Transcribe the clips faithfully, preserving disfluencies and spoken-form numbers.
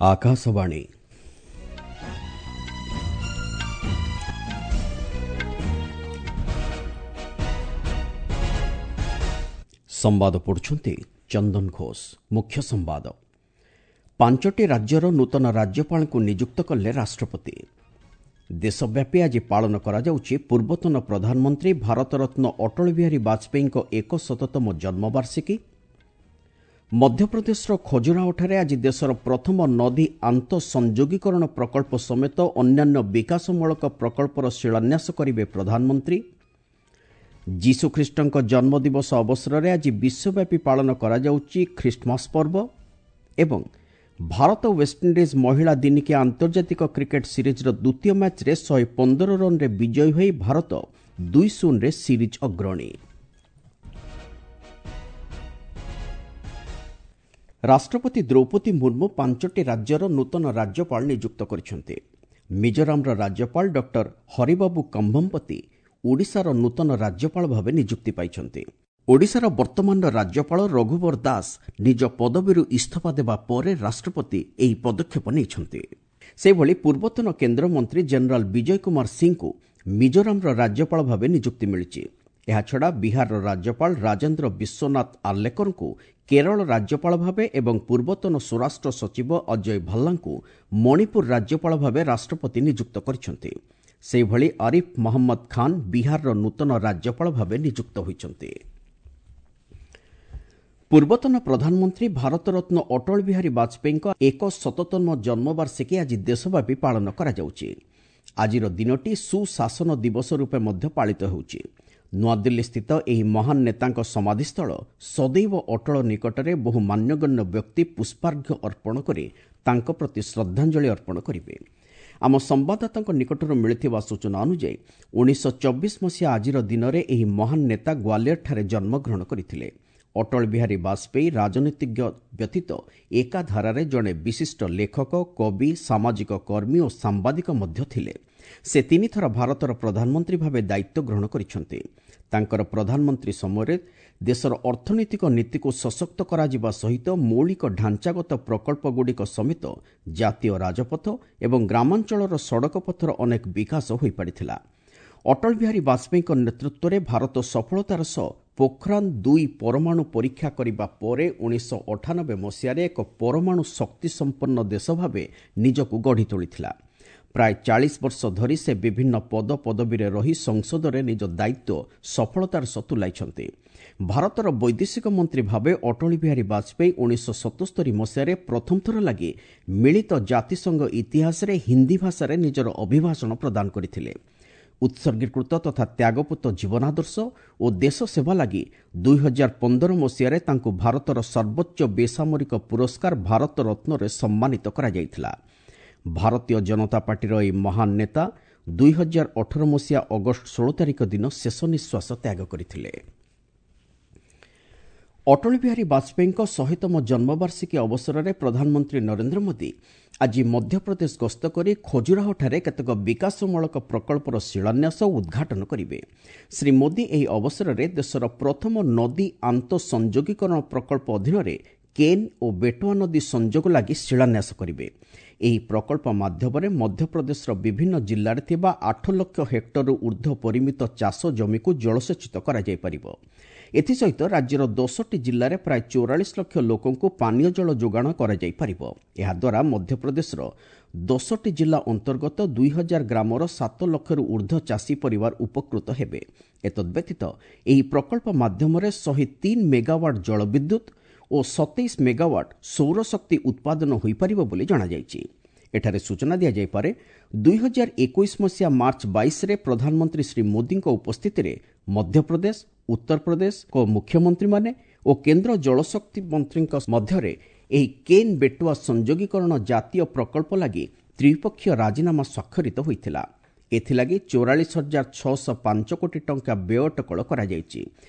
ଆକାଶବାଣୀ। ସମ୍ବାଦ ପଢୁଛନ୍ତି ଚନ୍ଦନ ଘୋଷ। ମୁଖ୍ୟ ସମ୍ବାଦ। ପାଞ୍ଚଟି ରାଜ୍ୟର ନୂତନ ରାଜ୍ୟପାଳଙ୍କୁ ନିଯୁକ୍ତ କଲେ ରାଷ୍ଟ୍ରପତି। ଦେଶବ୍ୟାପୀ ଆଜି ପାଳନ କରାଯାଉଛି ପୂର୍ବତନ ପ୍ରଧାନମନ୍ତ୍ରୀ ଭାରତରତ୍ନ ଅଟଳ ବିହାରୀ ବାଜପେୟୀଙ୍କ ଏକଶତତମ ଜନ୍ମବାର୍ଷିକୀ। ମଧ୍ୟପ୍ରଦେଶର ଖଜୁରାହୋଠାରେ ଆଜି ଦେଶର ପ୍ରଥମ ନଦୀ ଆନ୍ତଃସଂଯୋଗୀକରଣ ପ୍ରକଳ୍ପ ସମେତ ଅନ୍ୟାନ୍ୟ ବିକାଶମୂଳକ ପ୍ରକଳ୍ପର ଶିଳାନ୍ୟାସ କରିବେ ପ୍ରଧାନମନ୍ତ୍ରୀ। ଯୀଶୁଖ୍ରୀଷ୍ଟଙ୍କ ଜନ୍ମଦିବସ ଅବସରରେ ଆଜି ବିଶ୍ୱବ୍ୟାପୀ ପାଳନ କରାଯାଉଛି ଖ୍ରୀଷ୍ଟମାସ ପର୍ବ। ଏବଂ ଭାରତ ୱେଷ୍ଟଇଣ୍ଡିଜ୍ ମହିଳା ଦିନିକିଆ ଆନ୍ତର୍ଜାତିକ କ୍ରିକେଟ୍ ସିରିଜ୍ର ଦ୍ୱିତୀୟ ମ୍ୟାଚ୍ରେ ଶହେ ପନ୍ଦର ରନ୍ରେ ବିଜୟୀ ହୋଇ ଭାରତ ଦୁଇ ଶୂନରେ ସିରିଜ୍ ଅଗ୍ରଣୀ। ରାଷ୍ଟ୍ରପତି ଦ୍ରୌପଦୀ ମୁର୍ମୁ ପାଞ୍ଚଟି ରାଜ୍ୟର ନୂତନ ରାଜ୍ୟପାଳ ନିଯୁକ୍ତ କରିଛନ୍ତି। ମିଜୋରାମର ରାଜ୍ୟପାଳ ଡକ୍ଟର ହରିବାବୁ କମ୍ଭମପତି ଓଡ଼ିଶାର ନୂତନ ରାଜ୍ୟପାଳ ଭାବେ ନିଯୁକ୍ତି ପାଇଛନ୍ତି। ଓଡ଼ିଶାର ବର୍ତ୍ତମାନର ରାଜ୍ୟପାଳ ରଘୁବର ଦାସ ନିଜ ପଦବୀରୁ ଇସ୍ତଫା ଦେବା ପରେ ରାଷ୍ଟ୍ରପତି ଏହି ପଦକ୍ଷେପ ନେଇଛନ୍ତି। ସେହିଭଳି ପୂର୍ବତନ କେନ୍ଦ୍ରମନ୍ତ୍ରୀ ଜେନେରାଲ ବିଜୟ କୁମାର ସିଂଙ୍କୁ ମିଜୋରାମର ରାଜ୍ୟପାଳ ଭାବେ ନିଯୁକ୍ତି ମିଳିଛି। ଏହାଛଡ଼ା ବିହାରର ରାଜ୍ୟପାଳ ରାଜେନ୍ଦ୍ର ବିଶ୍ୱନାଥ ଆର୍ଲେକରଙ୍କୁ କେରଳ ରାଜ୍ୟପାଳ ଭାବେ ଏବଂ ପୂର୍ବତନ ସ୍ୱରାଷ୍ଟ୍ର ସଚିବ ଅଜୟ ଭଲ୍ଲାଙ୍କୁ ମଣିପୁର ରାଜ୍ୟପାଳ ଭାବେ ରାଷ୍ଟ୍ରପତି ନିଯୁକ୍ତ କରିଛନ୍ତି। ସେହିଭଳି ଆରିଫ ମହମ୍ମଦ ଖାନ୍ ବିହାରର ନୂତନ ରାଜ୍ୟପାଳ ଭାବେ ନିଯୁକ୍ତ ହୋଇଛନ୍ତି। ପୂର୍ବତନ ପ୍ରଧାନମନ୍ତ୍ରୀ ଭାରତରତ୍ନ ଅଟଳ ବିହାରୀ ବାଜପେୟୀଙ୍କ ଏକ ଶତତମ ଜନ୍ମବାର୍ଷିକୀ ଆଜି ଦେଶବ୍ୟାପୀ ପାଳନ କରାଯାଉଛି। ଆଜିର ଦିନଟି ସୁଶାସନ ଦିବସ ରୂପେ ମଧ୍ୟ ପାଳିତ ହେଉଛି। ନୂଆଦିଲ୍ଲୀସ୍ଥିତ ଏହି ମହାନ ନେତାଙ୍କ ସମାଧିସ୍ଥଳ ସଦୈବ ଅଟଳ ନିକଟରେ ବହୁ ମାନ୍ୟଗଣ୍ୟ ବ୍ୟକ୍ତି ପୁଷ୍ପାର୍ଘ୍ୟ ଅର୍ପଣ କରି ତାଙ୍କ ପ୍ରତି ଶ୍ରଦ୍ଧାଞ୍ଜଳି ଅର୍ପଣ କରିବେ। ଆମ ସମ୍ବାଦଦାତାଙ୍କ ନିକଟରୁ ମିଳିଥିବା ସୂଚନା ଅନୁଯାୟୀ ଉଣେଇଶହ ଚବିଶ ମସିହା ଆଜିର ଦିନରେ ଏହି ମହାନ ନେତା ଗ୍ୱାଲିୟରଠାରେ ଜନ୍ମଗ୍ରହଣ କରିଥିଲେ। ଅଟଳ ବିହାରୀ ବାଜପେୟୀ ରାଜନୀତିଜ୍ଞ ବ୍ୟତୀତ ଏକାଧାରାରେ ଜଣେ ବିଶିଷ୍ଟ ଲେଖକ, କବି, ସାମାଜିକ କର୍ମୀ ଓ ସାମ୍ବାଦିକ ମଧ୍ୟ ଥିଲେ। ସେ ତିନିଥର ଭାରତର ପ୍ରଧାନମନ୍ତ୍ରୀ ଭାବେ ଦାୟିତ୍ୱ ଗ୍ରହଣ କରିଛନ୍ତି। ତାଙ୍କର ପ୍ରଧାନମନ୍ତ୍ରୀ ସମୟରେ ଦେଶର ଅର୍ଥନୈତିକ ନୀତିକୁ ସଶକ୍ତ କରାଯିବା ସହିତ ମୌଳିକ ଢାଞ୍ଚାଗତ ପ୍ରକଳ୍ପଗୁଡ଼ିକ ସମେତ ଜାତୀୟ ରାଜପଥ ଏବଂ ଗ୍ରାମାଞ୍ଚଳର ସଡ଼କପଥର ଅନେକ ବିକାଶ ହୋଇପାରିଥିଲା। ଅଟଳ ବିହାରୀ ବାଜପେୟୀଙ୍କ ନେତୃତ୍ୱରେ ଭାରତ ସଫଳତାର ସହ ପୋଖରାନ ଦୁଇ ପରମାଣୁ ପରୀକ୍ଷା କରିବା ପରେ ଉଣେଇଶହ ଅଠାନବେ ମସିହାରେ ଏକ ପରମାଣୁ ଶକ୍ତିସମ୍ପନ୍ନ ଦେଶ ଭାବେ ନିଜକୁ ଗଢ଼ି ତୋଳିଥିଲା। ପ୍ରାୟ ଚାଳିଶ ବର୍ଷ ଧରି ସେ ବିଭିନ୍ନ ପଦପଦବୀରେ ରହି ସଂସଦରେ ନିଜ ଦାୟିତ୍ୱ ସଫଳତାର ସହ ତୁଲାଇଛନ୍ତି। ଭାରତର ବୈଦେଶିକ ମନ୍ତ୍ରୀ ଭାବେ ଅଟଳ ବିହାରୀ ବାଜପେୟୀ ଉଣେଇଶହ ସତସ୍ତରୀ ମସିହାରେ ପ୍ରଥମ ଥର ଲାଗି ମିଳିତ ଜାତିସଂଘ ଇତିହାସରେ ହିନ୍ଦୀ ଭାଷାରେ ନିଜର ଅଭିଭାଷଣ ପ୍ରଦାନ କରିଥିଲେ। ଉତ୍ସର୍ଗୀକୃତ ତଥା ତ୍ୟାଗପୂତ ଜୀବନାଦର୍ଶ ଓ ଦେଶ ସେବା ଲାଗି ଦୁଇ ହଜାର ପନ୍ଦର ମସିହାରେ ତାଙ୍କୁ ଭାରତର ସର୍ବୋଚ୍ଚ ବେସାମରିକ ପୁରସ୍କାର ଭାରତ ରତ୍ନରେ ସମ୍ମାନିତ କରାଯାଇଥିଲା। ଭାରତୀୟ ଜନତା ପାର୍ଟିର ଏହି ମହାନ ନେତା ଦୁଇ ହଜାର ଅଠର ମସିହା ଅଗଷ୍ଟ ଷୋହଳ ତାରିଖ ଦିନ ଶେଷ ନିଃଶ୍ୱାସ ତ୍ୟାଗ କରିଥିଲେ। ଅଟଳ ବିହାରୀ ବାଜପେୟୀଙ୍କ ଶହେତମ ଜନ୍ମବାର୍ଷିକୀ ଅବସରରେ ପ୍ରଧାନମନ୍ତ୍ରୀ ନରେନ୍ଦ୍ର ମୋଦି ଆଜି ମଧ୍ୟପ୍ରଦେଶ ଗସ୍ତ କରି ଖଜୁରାହୋଠାରେ କେତେକ ବିକାଶମୂଳକ ପ୍ରକଳ୍ପର ଶିଳାନ୍ୟାସ ଓ ଉଦ୍ଘାଟନ କରିବେ। ଶ୍ରୀ ମୋଦି ଏହି ଅବସରରେ ଦେଶର ପ୍ରଥମ ନଦୀ ଆନ୍ତଃସଂଯୋଗୀକରଣ ପ୍ରକଳ୍ପ ଅଧୀନରେ କେନ୍ ଓ ବେଟୱା ନଦୀ ସଂଯୋଗ ଲାଗି ଶିଳାନ୍ୟାସ କରିବେ। ଏହି ପ୍ରକଳ୍ପ ମାଧ୍ୟମରେ ମଧ୍ୟପ୍ରଦେଶର ବିଭିନ୍ନ ଜିଲ୍ଲାରେ ଥିବା ଆଠ ଲକ୍ଷ ହେକ୍ଟରରୁ ଉର୍ଦ୍ଧ୍ୱ ପରିମିତ ଚାଷ ଜମିକୁ ଜଳସେଚିତ କରାଯାଇପାରିବ। ଏଥିସହିତ ରାଜ୍ୟର ଦଶଟି ଜିଲ୍ଲାରେ ପ୍ରାୟ ଚଉରାଳିଶ ଲକ୍ଷ ଲୋକଙ୍କୁ ପାନୀୟ ଜଳ ଯୋଗାଣ କରାଯାଇପାରିବ। ଏହାଦ୍ୱାରା ମଧ୍ୟପ୍ରଦେଶର ଦଶଟି ଜିଲ୍ଲା ଅନ୍ତର୍ଗତ ଦୁଇ ହଜାର ଗ୍ରାମର ସାତ ଲକ୍ଷରୁ ଉର୍ଦ୍ଧ୍ୱ ଚାଷୀ ପରିବାର ଉପକୃତ ହେବେ। ଏତଦ୍ବ୍ୟତୀତ ଏହି ପ୍ରକଳ୍ପ ମାଧ୍ୟମରେ ଶହେ ତିନି ମେଗାୱାଟ୍ ଜଳବିଦ୍ୟୁତ୍ ଓ ସତେଇଶ ମେଗାୱାଟ୍ ସୌରଶକ୍ତି ଉତ୍ପାଦନ ହୋଇପାରିବ ବୋଲି ଜଣାଯାଇଛି। ଏଠାରେ ସୂଚନା ଦିଆଯାଇପାରେ, ଦୁଇ ହଜାର ଏକୋଇଶ ମସିହା ମାର୍ଚ୍ଚ ବାଇଶରେ ପ୍ରଧାନମନ୍ତ୍ରୀ ଶ୍ରୀ ମୋଦିଙ୍କ ଉପସ୍ଥିତିରେ ମଧ୍ୟପ୍ରଦେଶ, ଉତ୍ତରପ୍ରଦେଶଙ୍କ ମୁଖ୍ୟମନ୍ତ୍ରୀମାନେ ଓ କେନ୍ଦ୍ର ଜଳଶକ୍ତି ମନ୍ତ୍ରୀଙ୍କ ମଧ୍ୟରେ ଏହି କେନ୍ ବେଟୱା ସଂଯୋଗୀକରଣ ଜାତୀୟ ପ୍ରକଳ୍ପ ଲାଗି ତ୍ରିପକ୍ଷୀୟ ରାଜିନାମା ସ୍ୱାକ୍ଷରିତ ହୋଇଥିଲା। ଏଥିଲାଗି ଚଉରାଳିଶ ହଜାର ଛଅଶହ ପାଞ୍ଚ କୋଟି ଟଙ୍କା ବ୍ୟୟ ଅଟକଳ କରାଯାଇଛି।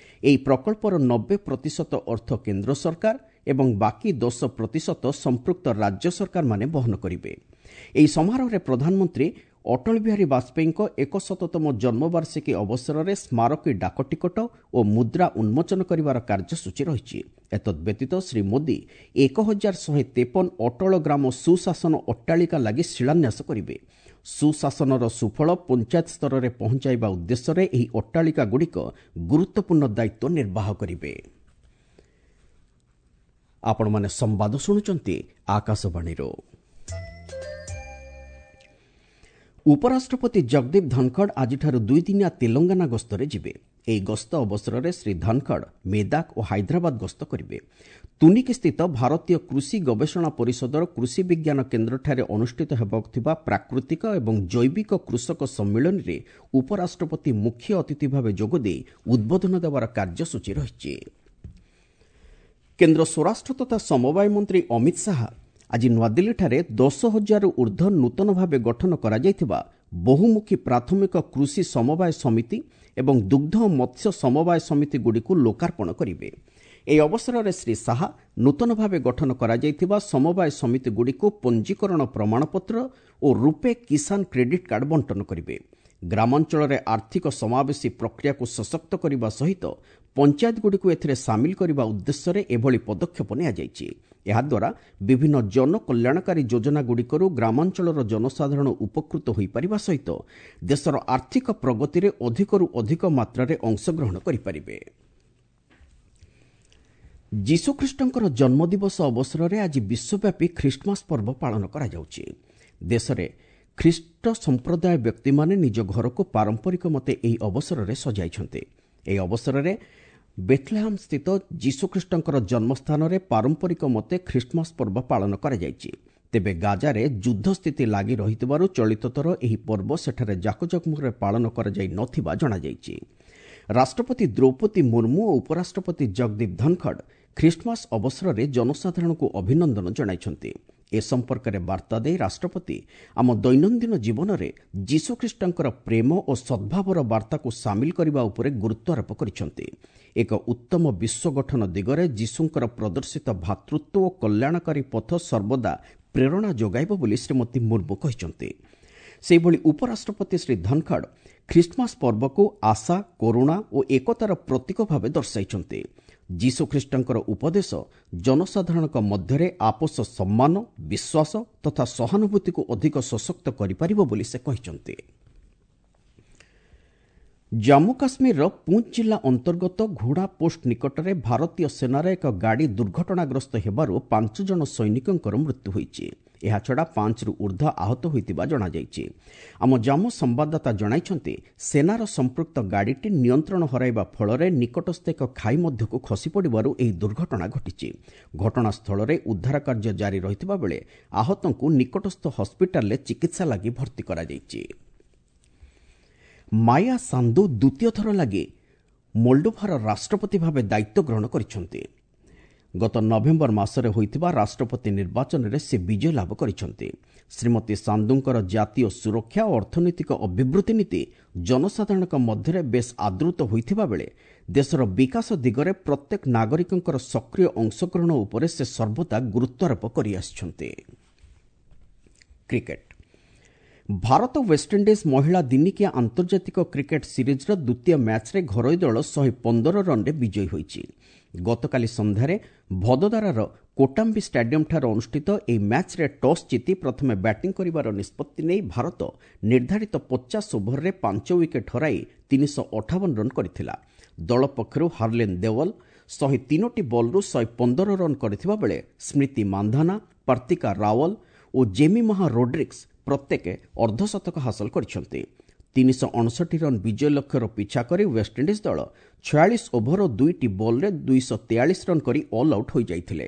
ଏହି ପ୍ରକଳ୍ପର ନବେ ପ୍ରତିଶତ ଅର୍ଥ କେନ୍ଦ୍ର ସରକାର ଏବଂ ବାକି ଦଶ ପ୍ରତିଶତ ସମ୍ପୃକ୍ତ ରାଜ୍ୟ ସରକାରମାନେ ବହନ କରିବେ। ଏହି ସମାରୋହରେ ପ୍ରଧାନମନ୍ତ୍ରୀ ଅଟଳ ବିହାରୀ ବାଜପେୟୀଙ୍କ ଏକଶତତମ ଜନ୍ମବାର୍ଷିକୀ ଅବସରରେ ସ୍ମାରକୀ ଡାକଟିକଟ ଓ ମୁଦ୍ରା ଉନ୍ମୋଚନ କରିବାର କାର୍ଯ୍ୟସୂଚୀ ରହିଛି। ଏତଦ୍ବ୍ୟତୀତ ଶ୍ରୀ ମୋଦି ଏକ ହଜାର ଶହେ ତେପନ ଅଟଳ ଗ୍ରାମ ସୁଶାସନ ଅଟ୍ଟାଳିକା ଲାଗି ଶିଳାନ୍ୟାସ କରିବେ। ସୁଶାସନର ସୁଫଳ ପଞ୍ଚାୟତ ସ୍ତରରେ ପହଞ୍ଚାଇବା ଉଦ୍ଦେଶ୍ୟରେ ଏହି ଅଟ୍ଟାଳିକାଗୁଡ଼ିକ ଗୁରୁତ୍ୱପୂର୍ଣ୍ଣ ଦାୟିତ୍ୱ ନିର୍ବାହ କରିବେ। ଆପଣମାନେ ସମ୍ବାଦ ଶୁଣୁଛନ୍ତି ଆକାଶବାଣୀରୁ। ଉପରାଷ୍ଟ୍ରପତି ଜଗଦୀପ ଧନଖଡ଼ ଆଜିଠାରୁ ଦୁଇଦିନିଆ ତେଲଙ୍ଗାନା ଗସ୍ତରେ ଯିବେ। ଏହି ଗସ୍ତ ଅବସରରେ ଶ୍ରୀ ଧନଖଡ଼ ମେଦାକ ଓ ହାଇଦ୍ରାବାଦ ଗସ୍ତ କରିବେ। ତୁନିକିସ୍ଥିତ ଭାରତୀୟ କୃଷି ଗବେଷଣା ପରିଷଦର କୃଷି ବିଜ୍ଞାନ କେନ୍ଦ୍ରଠାରେ ଅନୁଷ୍ଠିତ ହେବାକୁ ଥିବା ପ୍ରାକୃତିକ ଏବଂ ଜୈବିକ କୃଷକ ସମ୍ମିଳନୀରେ ଉପରାଷ୍ଟ୍ରପତି ମୁଖ୍ୟ ଅତିଥି ଭାବେ ଯୋଗଦେଇ ଉଦ୍ବୋଧନ ଦେବାର କାର୍ଯ୍ୟସୂଚୀ ରହିଛି। କେନ୍ଦ୍ର ସ୍ୱରାଷ୍ଟ୍ର ତଥା ସମବାୟ ମନ୍ତ୍ରୀ ଅମିତ ଶାହା ଆଜି ନୂଆଦିଲ୍ଲୀଠାରେ ଦଶ ହଜାରରୁ ଉର୍ଦ୍ଧ୍ୱ ନୂତନ ଭାବେ ଗଠନ କରାଯାଇଥିବା ବହୁମୁଖୀ ପ୍ରାଥମିକ କୃଷି ସମବାୟ ସମିତି ଏବଂ ଦୁଗ୍ଧ ଓ ମତ୍ସ୍ୟ ସମବାୟ ସମିତିଗୁଡ଼ିକୁ ଲୋକାର୍ପଣ କରିବେ। ଏହି ଅବସରରେ ଶ୍ରୀ ଶାହା ନୂତନ ଭାବେ ଗଠନ କରାଯାଇଥିବା ସମବାୟ ସମିତିଗୁଡ଼ିକୁ ପଞ୍ଜୀକରଣ ପ୍ରମାଣପତ୍ର ଓ ରୂପେ କିଷାନ କ୍ରେଡିଟ୍ କାର୍ଡ ବଣ୍ଟନ କରିବେ। ଗ୍ରାମାଞ୍ଚଳରେ ଆର୍ଥିକ ସମାବେଶୀ ପ୍ରକ୍ରିୟାକୁ ସଶକ୍ତ କରିବା ସହିତ ପଞ୍ଚାୟତଗୁଡ଼ିକୁ ଏଥିରେ ସାମିଲ କରିବା ଉଦ୍ଦେଶ୍ୟରେ ଏଭଳି ପଦକ୍ଷେପ ନିଆଯାଇଛି। ଏହାଦ୍ୱାରା ବିଭିନ୍ନ ଜନକଲ୍ୟାଣକାରୀ ଯୋଜନାଗୁଡ଼ିକରୁ ଗ୍ରାମାଞ୍ଚଳର ଜନସାଧାରଣ ଉପକୃତ ହୋଇପାରିବା ସହିତ ଦେଶର ଆର୍ଥିକ ପ୍ରଗତିରେ ଅଧିକରୁ ଅଧିକ ମାତ୍ରାରେ ଅଂଶଗ୍ରହଣ କରିପାରିବେ। ଯୀଶୁଖ୍ରୀଷ୍ଟଙ୍କର ଜନ୍ମଦିବସ ଅବସରରେ ଆଜି ବିଶ୍ୱବ୍ୟାପୀ ଖ୍ରୀଷ୍ଟମାସ ପର୍ବ ପାଳନ କରାଯାଉଛି। ଦେଶରେ ଖ୍ରୀଷ୍ଟ ସମ୍ପ୍ରଦାୟ ବ୍ୟକ୍ତିମାନେ ନିଜ ଘରକୁ ପାରମ୍ପରିକ ମତେ ଏହି ଅବସରରେ ସଜାଇଛନ୍ତି। ଏହି ଅବସରରେ ବେଥଲେହାମ୍ ସ୍ଥିତ ଯୀଶୁଖ୍ରୀଷ୍ଟଙ୍କର ଜନ୍ମସ୍ଥାନରେ ପାରମ୍ପରିକ ମତେ ଖ୍ରୀଷ୍ଟମାସ ପର୍ବ ପାଳନ କରାଯାଇଛି। ତେବେ ଗାଜାରେ ଯୁଦ୍ଧ ସ୍ଥିତି ଲାଗି ରହିଥିବାରୁ ଚଳିତ ଥର ଏହି ପର୍ବ ସେଠାରେ ଜାକଜମକରେ ପାଳନ କରାଯାଇ ନଥିବା ଜଣାଯାଇଛି। ରାଷ୍ଟ୍ରପତି ଦ୍ରୌପଦୀ ମୁର୍ମୁ ଓ ଉପରାଷ୍ଟ୍ରପତି ଜଗଦୀପ ଧନଖଡ଼ ଖ୍ରୀଷ୍ଟମାସ ଅବସରରେ ଜନସାଧାରଣଙ୍କୁ ଅଭିନନ୍ଦନ ଜଣାଇଛନ୍ତି। ଏ ସମ୍ପର୍କରେ ବାର୍ତ୍ତା ଦେଇ ରାଷ୍ଟ୍ରପତି ଆମ ଦୈନନ୍ଦିନ ଜୀବନରେ ଯୀଶୁଖ୍ରୀଷ୍ଟଙ୍କର ପ୍ରେମ ଓ ସଦ୍ଭାବର ବାର୍ତ୍ତାକୁ ସାମିଲ କରିବା ଉପରେ ଗୁରୁତ୍ୱାରୋପ କରିଛନ୍ତି। ଏକ ଉତ୍ତମ ବିଶ୍ୱ ଗଠନ ଦିଗରେ ଯୀଶୁଙ୍କର ପ୍ରଦର୍ଶିତ ଭ୍ରାତୃତ୍ୱ ଓ କଲ୍ୟାଣକାରୀ ପଥ ସର୍ବଦା ପ୍ରେରଣା ଯୋଗାଇବ ବୋଲି ଶ୍ରୀମତୀ ମୁର୍ମୁ କହିଛନ୍ତି। ସେହିଭଳି ଉପରାଷ୍ଟ୍ରପତି ଶ୍ରୀ ଧନଖଡ଼ ଖ୍ରୀଷ୍ଟମାସ ପର୍ବକୁ ଆଶା, କରୁଣା ଓ ଏକତାର ପ୍ରତୀକ ଭାବେ ଦର୍ଶାଇଛନ୍ତି। ଯୀଶୁଖ୍ରୀଷ୍ଟଙ୍କର ଉପଦେଶ ଜନସାଧାରଣଙ୍କ ମଧ୍ୟରେ ଆପୋଷ ସମ୍ମାନ, ବିଶ୍ୱାସ ତଥା ସହାନୁଭୂତିକୁ ଅଧିକ ସଶକ୍ତ କରିପାରିବ ବୋଲି ସେ କହିଛନ୍ତି। ଜାମ୍ମୁ କାଶ୍ମୀରର ପୁଞ୍ଚ ଜିଲ୍ଲା ଅନ୍ତର୍ଗତ ଘୋଡ଼ା ପୋଷ୍ଟ ନିକଟରେ ଭାରତୀୟ ସେନାର ଏକ ଗାଡ଼ି ଦୁର୍ଘଟଣାଗ୍ରସ୍ତ ହେବାରୁ ପାଞ୍ଚ ଜଣ ସୈନିକଙ୍କର ମୃତ୍ୟୁ ହୋଇଛି। ଏହାଛଡ଼ା ପାଞ୍ଚରୁ ଉର୍ଦ୍ଧ୍ୱ ଆହତ ହୋଇଥିବା ଜଣାଯାଇଛି। ଆମ ଜାମ୍ମୁ ସମ୍ବାଦଦାତା ଜଣାଇଛନ୍ତି, ସେନାର ସମ୍ପୃକ୍ତ ଗାଡ଼ିଟି ନିୟନ୍ତ୍ରଣ ହରାଇବା ଫଳରେ ନିକଟସ୍ଥ ଏକ ଖାଇ ମଧ୍ୟକୁ ଖସିପଡ଼ିବାରୁ ଏହି ଦୁର୍ଘଟଣା ଘଟିଛି। ଘଟଣାସ୍ଥଳରେ ଉଦ୍ଧାର କାର୍ଯ୍ୟ ଜାରି ରହିଥିବା ବେଳେ ଆହତଙ୍କୁ ନିକଟସ୍ଥ ହସ୍ପିଟାଲରେ ଚିକିତ୍ସା ଲାଗି ଭର୍ତ୍ତି କରାଯାଇଛି। ମାୟା ସାନ୍ଦୁ ଦ୍ୱିତୀୟ ଥର ଲାଗି ମୋଲ୍ଡୋଭାର ରାଷ୍ଟ୍ରପତି ଭାବେ ଦାୟିତ୍ୱ ଗ୍ରହଣ କରିଛନ୍ତି। ଗତ ନଭେମ୍ବର ମାସରେ ହୋଇଥିବା ରାଷ୍ଟ୍ରପତି ନିର୍ବାଚନରେ ସେ ବିଜୟ ଲାଭ କରିଛନ୍ତି। ଶ୍ରୀମତୀ ସାନ୍ଦୁଙ୍କର ଜାତୀୟ ସୁରକ୍ଷା ଓ ଅର୍ଥନୈତିକ ଅଭିବୃଦ୍ଧି ନୀତି ଜନସାଧାରଣଙ୍କ ମଧ୍ୟରେ ବେଶ୍ ଆଦୃତ ହୋଇଥିବା ବେଳେ ଦେଶର ବିକାଶ ଦିଗରେ ପ୍ରତ୍ୟେକ ନାଗରିକଙ୍କର ସକ୍ରିୟ ଅଂଶଗ୍ରହଣ ଉପରେ ସେ ସର୍ବଦା ଗୁରୁତ୍ୱାରୋପ କରିଆସିଛନ୍ତି। କ୍ରିକେଟ। ଭାରତ ୱେଷ୍ଟଇଣ୍ଡିଜ୍ ମହିଳା ଦିନିକିଆ ଆନ୍ତର୍ଜାତିକ କ୍ରିକେଟ ସିରିଜ୍ର ଦ୍ୱିତୀୟ ମ୍ୟାଚ୍ରେ ଘରୋଇ ଦଳ ଶହେ ପନ୍ଦର ରନ୍ରେ ବିଜୟୀ ହୋଇଛି। ଗତକାଲି ସନ୍ଧ୍ୟାରେ ଭଦୋଦରାର କୋଟାମ୍ବି ଷ୍ଟାଡିୟମ୍ଠାରେ ଅନୁଷ୍ଠିତ ଏହି ମ୍ୟାଚ୍ରେ ଟସ୍ ଜିତି ପ୍ରଥମେ ବ୍ୟାଟିଂ କରିବାର ନିଷ୍ପତ୍ତି ନେଇ ଭାରତ ନିର୍ଦ୍ଧାରିତ ପଚାଶ ଓଭରରେ ପାଞ୍ଚ ୱିକେଟ୍ ହରାଇ ତିନିଶହ ଅଠାବନ ରନ୍ କରିଥିଲା। ଦଳ ପକ୍ଷରୁ ହାର୍ଲିନ୍ ଦେଓଲ ଶହେ ତିନୋଟି ବଲ୍ରୁ ଶହେ ପନ୍ଦର ରନ୍ କରିଥିବା ବେଳେ ସ୍ମୃତି ମାନ୍ଧାନା, ପାର୍ତିକା ରାୱଲ ଓ ଜେମିମାହା ରୋଡ୍ରିକ୍ସ ପ୍ରତ୍ୟେକ ଅର୍ଦ୍ଧଶତକ ହାସଲ କରିଛନ୍ତି। ତିନିଶହ ଅଣଷଠି ରନ୍ ବିଜୟ ଲକ୍ଷ୍ୟର ପିଛା କରି ୱେଷ୍ଟଇଣ୍ଡିଜ୍ ଦଳ ଛୟାଳିଶ ଓଭର ଓ ଦୁଇଟି ବଲ୍ରେ ଦୁଇଶହ ତେୟାଳିଶ ରନ୍ କରି ଅଲ୍ ଆଉଟ୍ ହୋଇଯାଇଥିଲେ।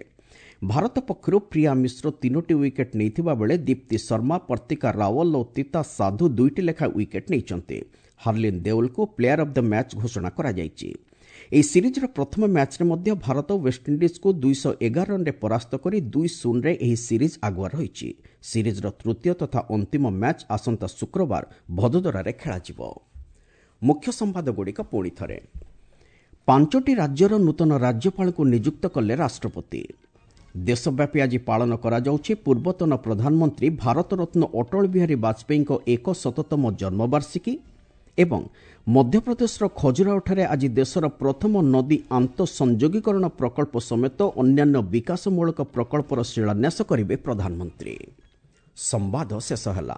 ଭାରତ ପକ୍ଷରୁ ପ୍ରିୟା ମିଶ୍ର ତିନୋଟି ୱିକେଟ୍ ନେଇଥିବା ବେଳେ ଦୀପ୍ତି ଶର୍ମା, ପର୍ତିକା ରାୱଲ ଓ ତିତା ସାଧୁ ଦୁଇଟି ଲେଖାଏଁ ୱିକେଟ୍ ନେଇଛନ୍ତି। ହାର୍ଲିନ୍ ଦେଓଲଙ୍କୁ ପ୍ଲେୟାର ଅଫ୍ the match ଘୋଷଣା କରାଯାଇଛି। ଏହି ସିରିଜ୍ର ପ୍ରଥମ ମ୍ୟାଚ୍ରେ ମଧ୍ୟ ଭାରତ ୱେଷ୍ଟଇଣ୍ଡିଜ୍କୁ ଦୁଇଶହ ଏଗାର ରନ୍ରେ ପରାସ୍ତ କରି ଦୁଇ ଶୂନରେ ଏହି ସିରିଜ୍ ଆଗୁଆ ରହିଛି। ସିରିଜ୍ର ତୃତୀୟ ତଥା ଅନ୍ତିମ ମ୍ୟାଚ୍ ଆସନ୍ତା ଶୁକ୍ରବାର ଭଦୋଦରାରେ ଖେଳାଯିବ। ମୁଖ୍ୟ ସମ୍ବାଦଗୁଡ଼ିକ ପୁଣି ଥରେ। ପାଞ୍ଚଟି ରାଜ୍ୟର ନୂତନ ରାଜ୍ୟପାଳଙ୍କୁ ନିଯୁକ୍ତ କଲେ ରାଷ୍ଟ୍ରପତି। ଦେଶବ୍ୟାପୀ ଆଜି ପାଳନ କରାଯାଉଛି ପୂର୍ବତନ ପ୍ରଧାନମନ୍ତ୍ରୀ ଭାରତରତ୍ନ ଅଟଳ ବିହାରୀ ବାଜପେୟୀଙ୍କ ଏକ ଶତତମ ଜନ୍ମବାର୍ଷିକୀ ଏବଂ ମଧ୍ୟପ୍ରଦେଶର ଖଜୁରାଓଠାରେ ଆଜି ଦେଶର ପ୍ରଥମ ନଦୀ ଆନ୍ତଃସଂଯୋଗୀକରଣ ପ୍ରକଳ୍ପ ସମେତ ଅନ୍ୟାନ୍ୟ ବିକାଶମୂଳକ ପ୍ରକଳ୍ପର ଶିଳାନ୍ୟାସ କରିବେ ପ୍ରଧାନମନ୍ତ୍ରୀ। ସମ୍ବାଦ ଶେଷ ହେଲା।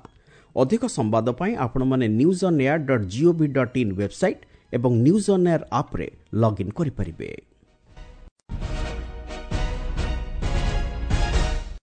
ଅଧିକ ସମ୍ବାଦ ପାଇଁ ଆପଣମାନେ news on air dot gov dot in website ଏବଂ ନ୍ୟୁଜ୍ ଅନ୍ ଏୟାର ଆପ୍ରେ ଲଗ୍ଇନ୍ କରିପାରିବେ।